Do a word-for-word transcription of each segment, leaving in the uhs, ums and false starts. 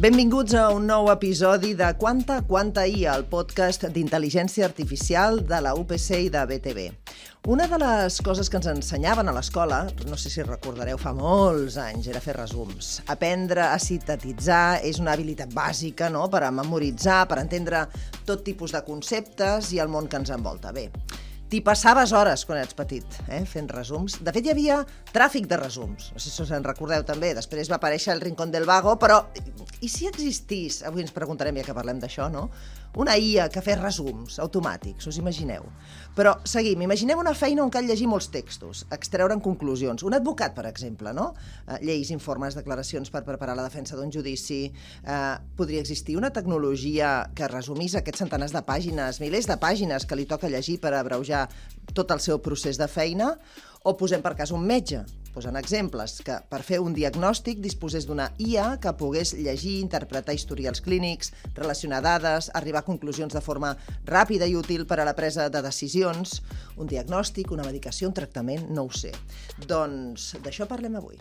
Benvinguts a un nou episodi de Quanta Quanta I A, el podcast d'intel·ligència artificial de la U P C i de B T V. Una de les coses que ens ensenyaven a l'escola, no sé si recordareu, fa molts anys, era fer resums. Aprendre a sintetitzar és una habilitat bàsica, no?, per a memoritzar, per entendre tot tipus de conceptes i el món que ens envolta. Bé, t'hi passaves hores quan eres petit, eh, fent resums. De fet, hi havia tràfic de resums. No sé si us en recordeu també. Després va aparèixer el Rincón del Vago, però i si existís, avui ens preguntarem ja que parlem d'això, no?, una I A que fes resums automàtics, us imagineu? Però seguim, imaginem una feina on cal llegir molts textos, extreure'n conclusions. Un advocat, per exemple, no? Eh, lleis, informes, declaracions per preparar la defensa d'un judici. Eh, podria existir una tecnologia que resumís aquests centenars de pàgines, milers de pàgines que li toca llegir per abreujar tot el seu procés de feina? O posem per cas un metge, posant exemples, que per fer un diagnòstic disposés d'una I A que pogués llegir, interpretar historials clínics, relacionar dades, arribar a conclusions de forma ràpida i útil per a la presa de decisions. Un diagnòstic, una medicació, un tractament, no ho sé. Doncs d'això parlem avui.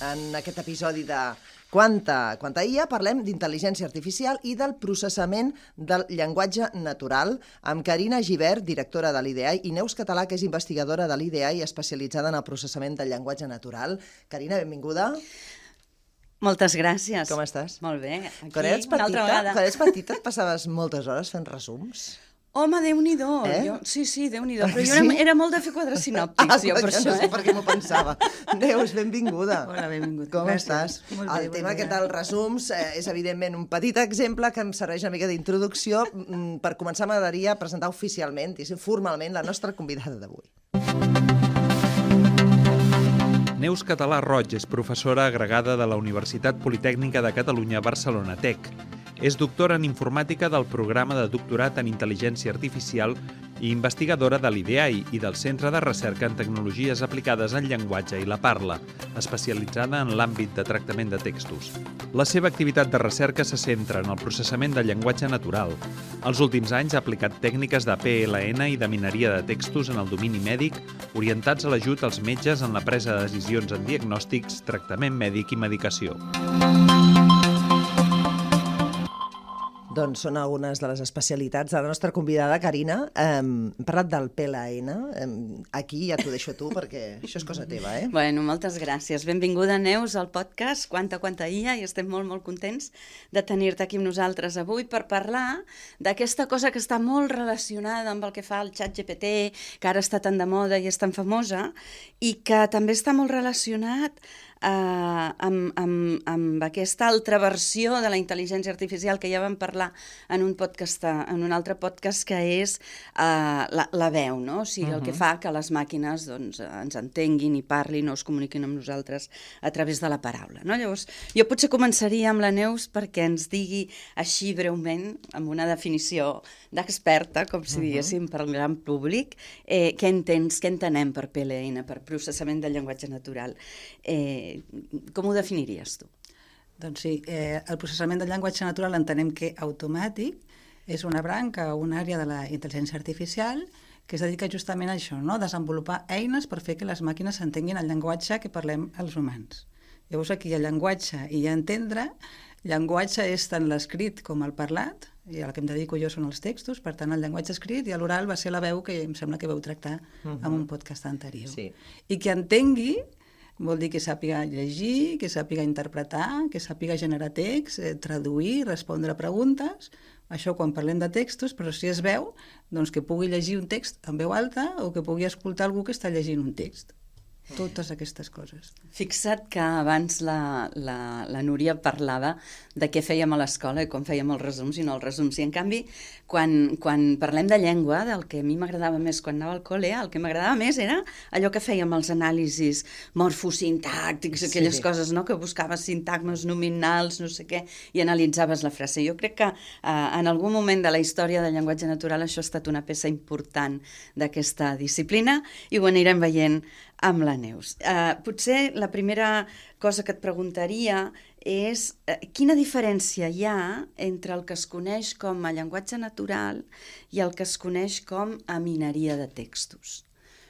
En aquest episodi de Quanta Quanta I A parlem d'intel·ligència artificial i del processament del llenguatge natural amb Carina Gibert, directora de l'I D A I, i Neus Català, que és investigadora de l'I D A I especialitzada en el processament del llenguatge natural. Carina, benvinguda. Moltes gràcies. Com estàs? Molt bé. Aquí, quan eres una altra petita, vegada. quan eres petita et passaves moltes hores fent resums? Home, Déu-n'hi-do. Eh? Jo, sí, sí, Déu-n'hi-do. Però Sí? jo era, era molt de fer quadres sinòptics, Ah, jo, per jo això. no sé eh? per què m'ho pensava. Neus, benvinguda. Hola, benvingut. Com Gràcies. estàs? Molt bé, El bon tema dia. aquest dels resums eh, és evidentment un petit exemple que em serveix una mica d'introducció. Mm, Per començar m'agradaria presentar oficialment, i formalment, la nostra convidada d'avui. Neus Català Roig és professora agregada de la Universitat Politècnica de Catalunya Barcelona Tec. És doctora en informàtica del programa de doctorat en intel·ligència artificial i investigadora de l'I D A I i del Centre de Recerca en Tecnologies Aplicades al Llenguatge i la Parla, especialitzada en l'àmbit de tractament de textos. La seva activitat de recerca se centra en el processament del llenguatge natural. Els últims anys ha aplicat tècniques de P L N i de mineria de textos en el domini mèdic, orientats a l'ajut als metges en la presa de decisions en diagnòstics, tractament mèdic i medicació. Doncs són algunes de les especialitats de la nostra convidada, Carina. Hem parlat del P L N. Aquí ja t'ho deixo a tu, perquè això és cosa teva, eh? Bueno, moltes gràcies. Benvinguda, Neus, al podcast Quanta Quanta I A, i estem molt, molt contents de tenir-te aquí amb nosaltres avui per parlar d'aquesta cosa que està molt relacionada amb el que fa el xat G P T, que ara està tan de moda i és tan famosa, i que també està molt relacionat Uh, amb, amb, amb aquesta altra versió de la intel·ligència artificial que ja vam parlar en un podcast, en un altre podcast, que és uh, la, la veu, no? O sigui, uh-huh. el que fa que les màquines doncs, ens entenguin i parlin o es comuniquin amb nosaltres a través de la paraula, no? Llavors, jo potser començaria amb la Neus perquè ens digui així breument, amb una definició d'experta, com si diguéssim, uh-huh. per al gran públic, eh, què entens, què entenem per P L N, per processament del llenguatge natural. Eh, Com ho definiries tu? Doncs sí, eh, el processament del llenguatge natural entenem que automàtic és una branca o una àrea de la intel·ligència artificial que es dedica justament a això, no? A desenvolupar eines per fer que les màquines entenguin el llenguatge que parlem els humans. Llavors aquí hi ha llenguatge i hi ha entendre. Llenguatge és tant l'escrit com el parlat, i el que em dedico jo són els textos, per tant el llenguatge escrit, i l'oral va ser la veu que em sembla que vau tractar uh-huh. en un podcast anterior. Sí. I que entengui vol dir que sàpiga llegir, que sàpiga interpretar, que sàpiga generar text, eh, traduir, respondre a preguntes. Això quan parlem de textos, però si es veu, doncs que pugui llegir un text en veu alta o que pugui escoltar algú que està llegint un text. Totes aquestes coses. Fixa't que abans la, la, la Núria parlava de què fèiem a l'escola i com fèiem els resums i no els resums. I en canvi, quan, quan parlem de llengua, del que a mi m'agradava més quan anava al col·le, el que m'agradava més era allò que fèiem els anàlisis morfosintàctics, sí. aquelles coses, no?, que buscaves sintagmes nominals, no sé què, i analitzaves la frase. Jo crec que eh, en algun moment de la història del llenguatge natural això ha estat una peça important d'aquesta disciplina i ho anirem veient amb la Neus. Uh, potser la primera cosa que et preguntaria és uh, quina diferència hi ha entre el que es coneix com a llenguatge natural i el que es coneix com a mineria de textos.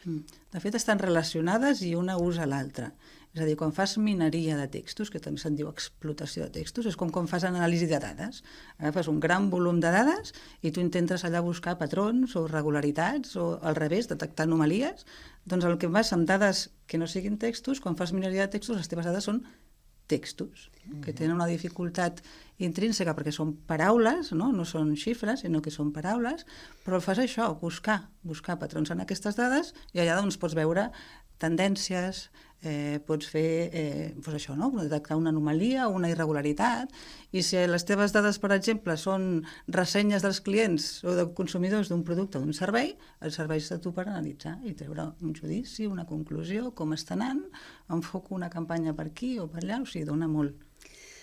De fet, estan relacionades i una usa l'altra. És a dir, quan fas mineria de textos, que també se'n diu explotació de textos, és com quan fas anàlisi de dades. Agafes un gran volum de dades i tu intentes allà buscar patrons o regularitats o al revés, detectar anomalies. Doncs el que vas amb dades que no siguin textos, quan fas mineria de textos, les teves dades són textos, que tenen una dificultat intrínseca perquè són paraules, no, no són xifres, sinó que són paraules, però el fas això, buscar, buscar patrons en aquestes dades i allà doncs pots veure tendències, eh, pots fer eh, doncs això, no? Detectar una anomalia, una irregularitat, i si les teves dades, per exemple, són ressenyes dels clients o de consumidors d'un producte o d'un servei, el serveix a tu per analitzar i treure un judici, una conclusió, com està anant, enfoco una campanya per aquí o per allà, o sigui, dona molt.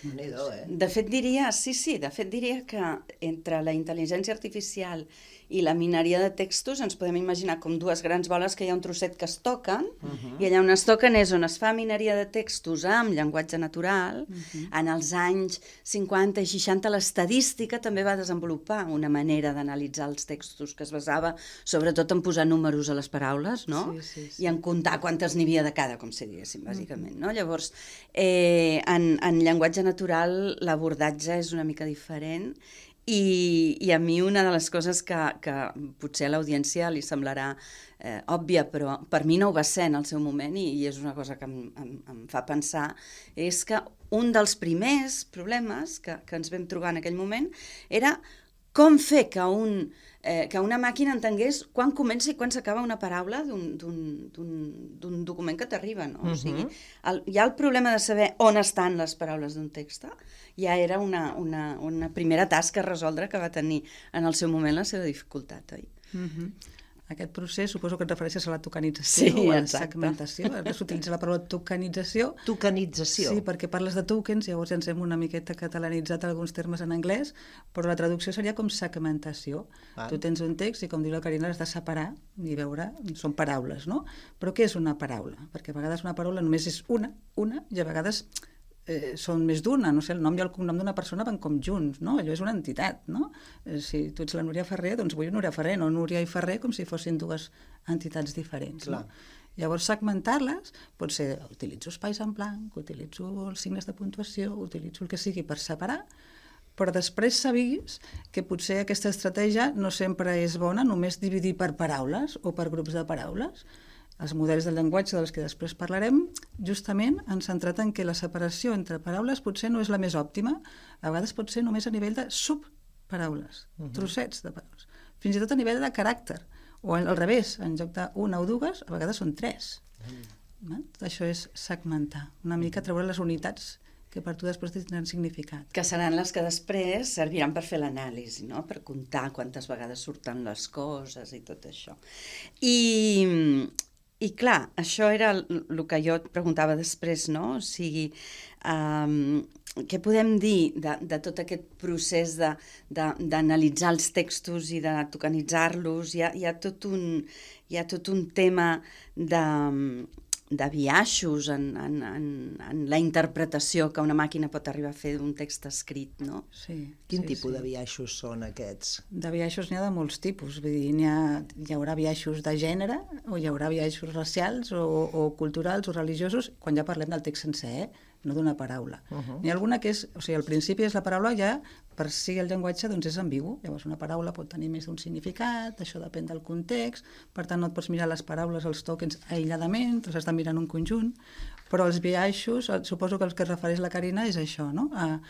Eh? De fet diria, sí, sí, de fet diria que entre la intel·ligència artificial i la mineria de textos ens podem imaginar com dues grans boles que hi ha un trosset que es toquen, uh-huh. i allà on es toquen és on es fa mineria de textos amb llenguatge natural. Uh-huh. En els anys cinquanta i seixanta l'estadística també va desenvolupar una manera d'analitzar els textos que es basava sobretot en posar números a les paraules, no? Sí, sí, sí. I en comptar quantes n'hi havia de cada, com si diguéssim, bàsicament. No? Llavors, eh, en, en llenguatge natural l'abordatge és una mica diferent. I, i a mi una de les coses que, que potser a l'audiència li semblarà eh, òbvia, però per mi no ho va ser en el seu moment, i, i és una cosa que em, em, em fa pensar, és que un dels primers problemes que, que ens vam trobar en aquell moment era com fer que, un, eh, que una màquina entengués quan comença i quan s'acaba una paraula d'un document que t'arriba, no? Uh-huh. O sigui, el, hi ha el problema de saber on estan les paraules d'un text, ja era una, una, una primera tasca a resoldre que va tenir en el seu moment la seva dificultat, oi? Uh-huh. Aquest procés, suposo que et refereixes a la tokenització, sí, o a la exacte. segmentació. Ara s'utilitza la paraula tokenització. Tokenització. Sí, perquè parles de tokens, llavors ens hem una miqueta catalanitzat alguns termes en anglès, però la traducció seria com segmentació. Ah. Tu tens un text i, com diu la Carina, l'has de separar i veure, són paraules, no? Però què és una paraula? Perquè a vegades una paraula només és una, una, i a vegades Eh, són més d'una, no sé, el nom i el cognom d'una persona van com junts, no? Allò és una entitat, no? Eh, si tu ets la Núria Ferrer, doncs vull Núria Ferrer, no Núria i Ferrer, com si fossin dues entitats diferents, no? Llavors, segmentar-les pot ser, utilitzo espais en blanc, utilitzo els signes de puntuació, utilitzo el que sigui per separar, però després s'ha vist que potser aquesta estratègia no sempre és bona, només dividir per paraules o per grups de paraules. Els models del llenguatge dels que després parlarem justament han centrat en que la separació entre paraules potser no és la més òptima, a vegades pot ser només a nivell de subparaules, uh-huh. trossets de paraules, fins i tot a nivell de caràcter, o al revés, en lloc d'una o dues, a vegades són tres. Uh-huh. Tot això és segmentar, una mica treure les unitats que per tu després tindran significat. Que seran les que després serviran per fer l'anàlisi, no? Per comptar quantes vegades surten les coses i tot això. I... I clar, això era el que jo et preguntava després, no? O sigui, um, què podem dir de, de tot aquest procés d'analitzar els textos i de tokenitzar-los? Hi ha, hi ha, tot un, hi ha tot un tema de, de biaixos en, en, en, en la interpretació que una màquina pot arribar a fer d'un text escrit, no? Sí. Quin sí, tipus sí. de biaixos són aquests? De biaixos n'hi ha de molts tipus. Vull dir, n'hi ha, hi haurà biaixos de gènere, o hi haurà biaixos racials, o, o culturals, o religiosos, quan ja parlem del text sencer, eh? No d'una paraula. Uh-huh. N'hi ha alguna que és, o sigui, al principi és la paraula ja, per si el llenguatge doncs és ambigu. Llavors una paraula pot tenir més d'un significat, això depèn del context, per tant no et pots mirar les paraules, els tokens aïlladament, te has de mirar en un conjunt, però els biaixos, suposo que el que es refereix la Carina és això, no? A,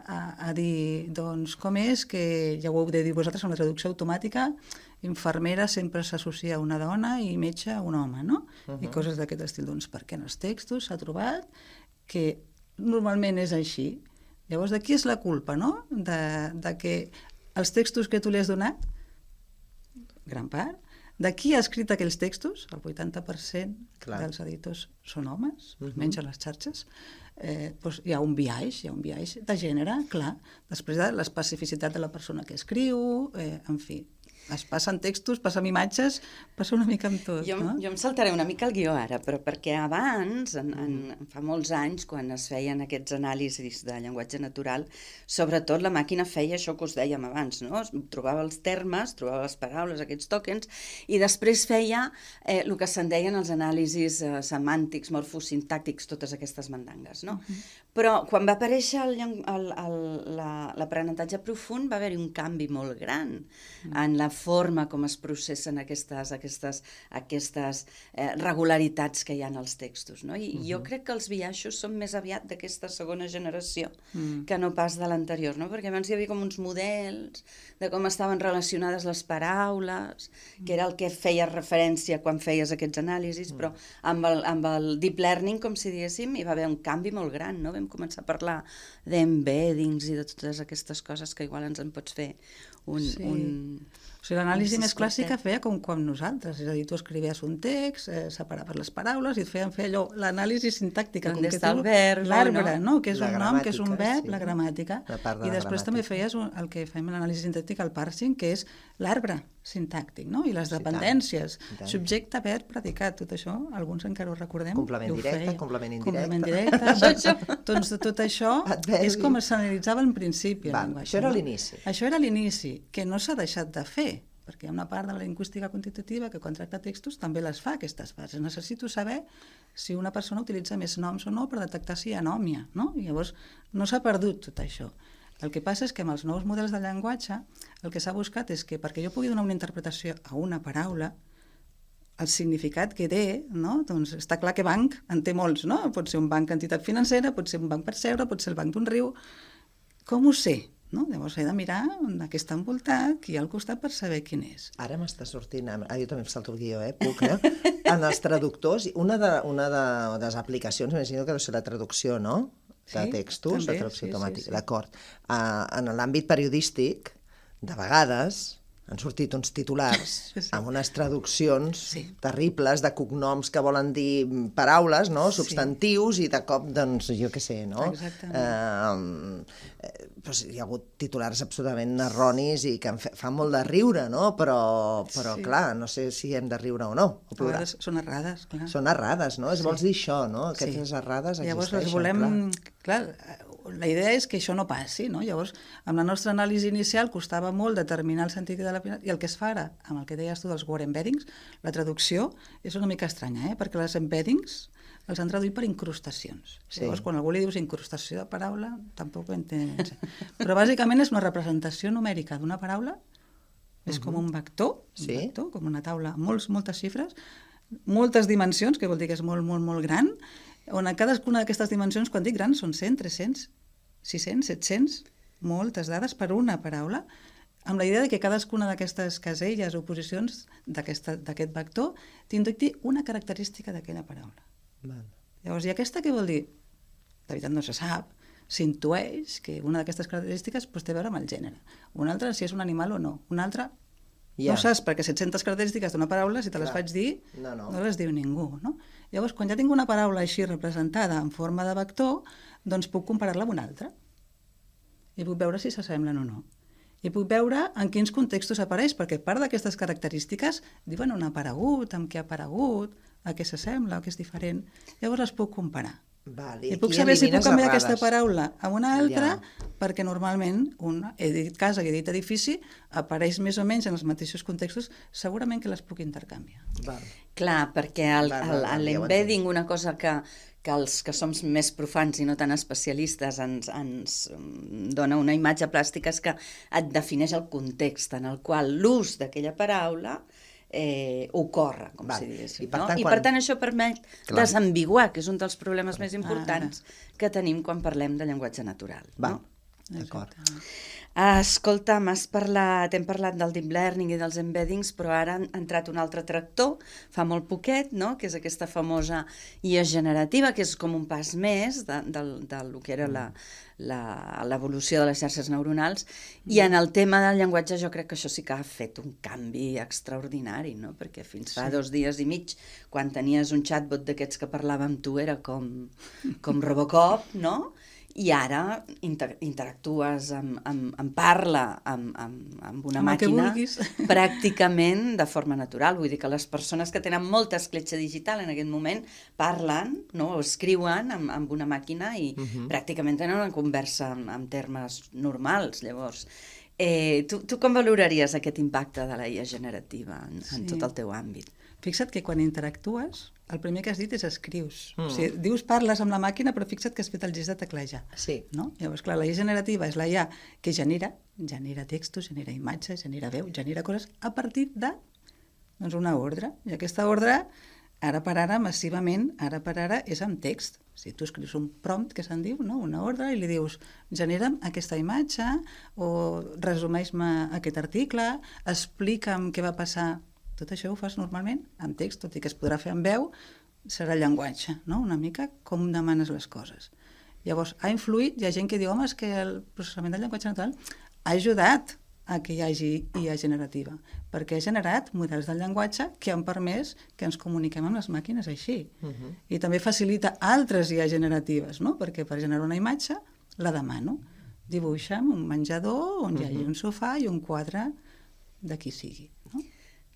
a, a dir, doncs, com és que, ja ho heu de dir vosaltres, en la traducció automàtica, infermera sempre s'associa a una dona i metge a un home, no? Uh-huh. I coses d'aquest estil. Doncs perquè en els textos s'ha trobat que normalment és així. Llavors, de qui és la culpa, no? De, de que els textos que tu li has donat, gran part, de qui ha escrit aquells textos, el vuitanta per cent Clar. Dels editors són homes, uh-huh. almenys a les xarxes, eh, doncs hi ha un biaix, hi ha un biaix de gènere, clar, després de l'especificitat de la persona que escriu, eh, en fi. Es passen textos, passen imatges, passa una mica amb tot, jo, no? Jo em saltaré una mica el guió ara, però perquè abans, en, en, fa molts anys, quan es feien aquests anàlisis de llenguatge natural, sobretot la màquina feia això que us dèiem abans, no? Trobava els termes, trobava les paraules, aquests tòkens, i després feia eh, el que se'n deien els anàlisis eh, semàntics, morfosintàctics, totes aquestes mandangues, no? Uh-huh. Però quan va aparèixer l'aprenentatge profund va haver-hi un canvi molt gran uh-huh. en la forma com es processen aquestes, aquestes, aquestes eh, regularitats que hi ha en els textos, no? I uh-huh. jo crec que els biaixos són més aviat d'aquesta segona generació uh-huh. que no pas de l'anterior, no? Perquè abans hi havia com uns models de com estaven relacionades les paraules, uh-huh. que era el que feia referència quan feies aquests anàlisis, uh-huh. però amb el, amb el deep learning, com si diguéssim, hi va haver un canvi molt gran, no? Vam començar a parlar d'embeddings i de totes aquestes coses que igual ens en pots fer un... Sí. un O sigui, l'anàlisi més clàssica feia com, com nosaltres, és a dir, tu escrivies un text, eh, separaves les paraules i et feien fer allò, l'anàlisi sintàctica, com que tu, l'arbre, no? Que és un nom, que és un verb, la gramàtica, i després també feies un, el que fèiem l'anàlisi sintàctica, el parsing, que és l'arbre sintàctic, no? I les dependències, subjecte, verb, predicat, tot això, alguns encara ho recordem. Complement directe, complement indirecte. Complement directe, doncs tot això és com s'analitzava al principi. Això era l'inici. Això era l'inici, que no s'ha deixat de fer, perquè hi ha una part de la lingüística quantitativa que quan tracta textos també les fa, aquestes fases. Necessito saber si una persona utilitza més noms o no per detectar si hi ha nòmia, no? I llavors no s'ha perdut tot això. El que passa és que amb els nous models de llenguatge el que s'ha buscat és que perquè jo pugui donar una interpretació a una paraula, el significat que té, no? Doncs està clar que banc en té molts, no? Pot ser un banc entitat financera, pot ser un banc per seure, pot ser el banc d'un riu. Com ho sé? No? Llavors he de mirar de què està envoltat, qui hi ha al costat per saber quin és. Ara m'està sortint, ah, jo també em salto el guió, eh? Puc, eh? En els traductors, una de, una de, de les aplicacions, m'imagino que deu ser la traducció, no? De sí, textos, també, la traducció sí, automàtica, sí, sí. d'acord. Uh, en l'àmbit periodístic, de vegades han sortit uns titulars sí. amb unes traduccions sí. terribles de cognoms que volen dir paraules, no? Substantius, sí. i de cop, doncs, jo què sé, no? Exactament. Eh, doncs hi ha hagut titulars absolutament erronis i que fan molt de riure, no? Però, però sí. clar, no sé si hem de riure o no. O a vegades són errades, clar. Són errades, no? Sí. Vols dir això, no? Aquestes sí. errades existeixen, llavors les volem... clar. clar la idea és que això no passi, no? Llavors, amb la nostra anàlisi inicial costava molt determinar el sentit de la... I el que es fa ara, amb el que deies tu dels word embeddings, la traducció és una mica estranya, eh? Perquè les embeddings els han traduït per incrustacions. Sí. Llavors, quan algú li dius incrustació de paraula, tampoc ho entén. Però bàsicament és una representació numèrica d'una paraula, és uh-huh. com un vector, un sí. vector, com una taula amb molts, moltes xifres, moltes dimensions, que vol dir que és molt, molt, molt gran, on a cadascuna d'aquestes dimensions, quan dic grans, són cent, tres-cents, sis-cents, set-cents, moltes dades per una paraula, amb la idea de que cadascuna d'aquestes caselles o posicions d'aquest vector t'indiqui una característica d'aquella paraula. Val. Llavors, i aquesta què vol dir? De veritat no se sap, s'intueix que una d'aquestes característiques pues, té a veure amb el gènere. Una altra, si és un animal o no. Una altra, ja. no saps, perquè set-centes característiques d'una paraula, si te les Clar. faig dir, no, no. no les diu ningú, no? Llavors, quan ja tinc una paraula així representada en forma de vector, doncs puc comparar-la amb una altra. I puc veure si s'assemblen o no. I puc veure en quins contextos apareix, perquè part d'aquestes característiques diuen on ha aparegut, amb què ha aparegut, a què s'assembla, a què és diferent. Llavors les puc comparar. Val, I puc saber si puc canviar errades. aquesta paraula a una altra, ja. perquè normalment, un, he dit casa i he dit edifici, apareix més o menys en els mateixos contextos, segurament que les puc intercanviar. Val. Clar, perquè l'embedding, una cosa que, que els que som més profans i no tan especialistes ens, ens dona una imatge plàstica és que et defineix el context en el qual l'ús d'aquella paraula Eh, ocorre, com Val. si diguéssim. I per, no? tant, I quan... per tant això permet Clar. desambiguar, que és un dels problemes més importants ah, que tenim quan parlem de llenguatge natural. Va, no? d'acord. Escolta, m'has parlat, hem parlat del deep learning i dels embeddings, però ara ha entrat un altre tractor, fa molt poquet, no? Que és aquesta famosa I A generativa, que és com un pas més de, de, de, de que era la, l'evolució de les xarxes neuronals, i en el tema del llenguatge jo crec que això sí que ha fet un canvi extraordinari, no? Perquè fins fa sí. dos dies i mig, quan tenies un chatbot d'aquests que parlava amb tu, era com, com Robocop, no? i ara inter interactues amb, amb, amb parla amb, amb, amb una amb màquina pràcticament de forma natural. Vull dir que les persones que tenen molta escletxa digital en aquest moment parlen, no? O escriuen amb, amb una màquina i uh -huh. pràcticament tenen una conversa en, en termes normals. Llavors, eh, tu, tu com valoraries aquest impacte de la I A generativa en, sí. en tot el teu àmbit? Fixa't que quan interactues, el primer que has dit és escrius. Mm. O sigui, dius, parles amb la màquina, però fixa't que has fet el gest de teclejar. Sí. No? Llavors, clar, la I A generativa és la I A que genera, genera textos, genera imatges, genera veu, genera coses a partir de doncs, una ordre. I aquesta ordre, ara per ara, massivament, ara per ara, és amb text. O sigui, tu escrius un prompt, que se'n diu, no? Una ordre, i li dius, genera'm aquesta imatge, o resumeix-me aquest article, explica'm què va passar. Tot això ho fas normalment amb text, tot i que es podrà fer amb veu, serà llenguatge, no? Una mica com demanes les coses. Llavors, ha influït, hi ha gent que diu, home, és que el processament del llenguatge natural ha ajudat a que hi hagi I A generativa, perquè ha generat models del llenguatge que han permès que ens comuniquem amb les màquines així. Uh-huh. I també facilita altres I A generatives, no? Perquè per generar una imatge la demano. Dibuixa'm un menjador on uh-huh. hi hagi un sofà i un quadre de qui sigui, no?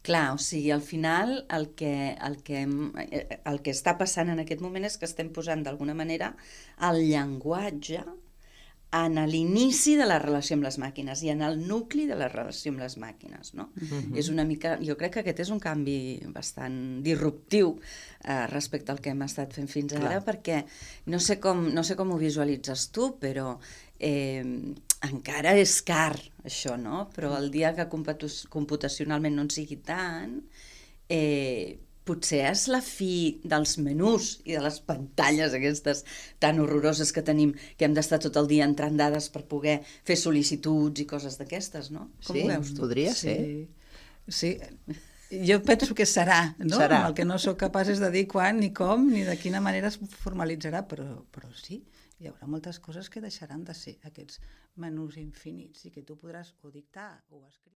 Clar, o sigui, al final el que, el, que, el que està passant en aquest moment és que estem posant d'alguna manera el llenguatge en l'inici de la relació amb les màquines i en el nucli de la relació amb les màquines, no? Uh-huh. És una mica, jo crec que aquest és un canvi bastant disruptiu eh, respecte al que hem estat fent fins ara, Clar. perquè no sé, com, no sé com ho visualitzes tu, però eh, encara és car, això, no? Però el dia que computacionalment no en sigui tant, eh, potser és la fi dels menús i de les pantalles aquestes tan horroroses que tenim, que hem d'estar tot el dia entrant dades per poder fer sol·licituds i coses d'aquestes, no? Com sí, ho veus tu? Podria sí. ser. Sí, jo penso que serà, no? Serà. El que no sóc capaç és de dir quan, ni com, ni de quina manera es formalitzarà, però, però sí, hi haurà moltes coses que deixaran de ser aquests menús infinits i que tu podràs o dictar o escriure.